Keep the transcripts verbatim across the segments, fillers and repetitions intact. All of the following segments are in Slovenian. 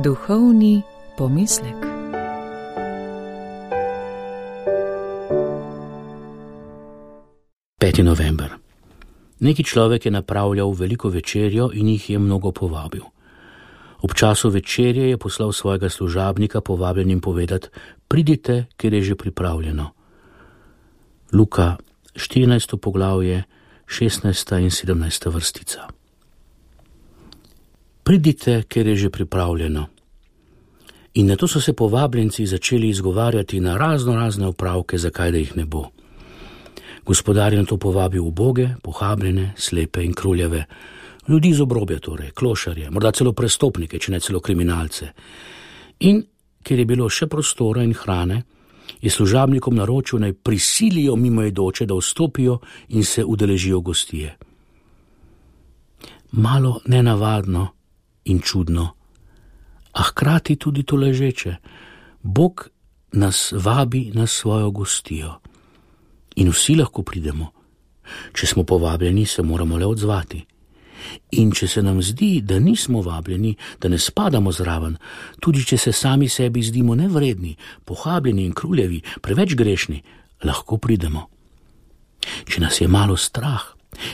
Duhovni pomislek. peti november. Neki človek je napravljal veliko večerjo in jih je mnogo povabil. Ob času večerje je poslal svojega služabnika povabljenim povedati: pridite, ker je že pripravljeno. Luka, štirinajsto poglavje, šestnajsta in sedemnajsta vrstica. Pridite, ker je že pripravljeno. In nato so se povabljenci začeli izgovarjati na razno razne opravke, zakaj da jih ne bo. Gospodar je nato povabil uboge, pohabljene, slepe in kruljave, ljudi z obrobja torej, klošarje, morda celo prestopnike, če ne celo kriminalce. In ker je bilo še prostora in hrane, je služabnikom naročil, naj prisilijo mimoidoče, da vstopijo in se udeležijo gostije. Malo nenavadno in čudno, a hkrati tudi tolažeče. Bog nas vabi na svojo gostijo. In vsi lahko pridemo. Če smo povabljeni, se moramo le odzvati. In če se nam zdi, da nismo vabljeni, da ne spadamo zraven, tudi če se sami sebi zdimo nevredni, pohabljeni in kruljevi, preveč grešni, lahko pridemo. Če nas je malo strah,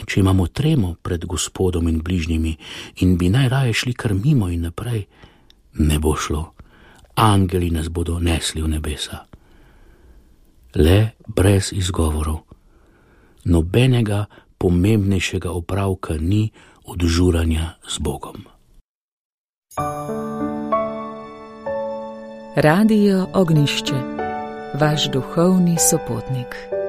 če imamo tremo pred Gospodom in bližnjimi in bi najraje šli kar mimo in naprej, ne bo šlo. Angeli nas bodo nesli v nebesa. Le brez izgovorov. Nobenega pomembnejšega opravka ni od žuranja z Bogom. Radio Ognjišče, vaš duhovni sopotnik.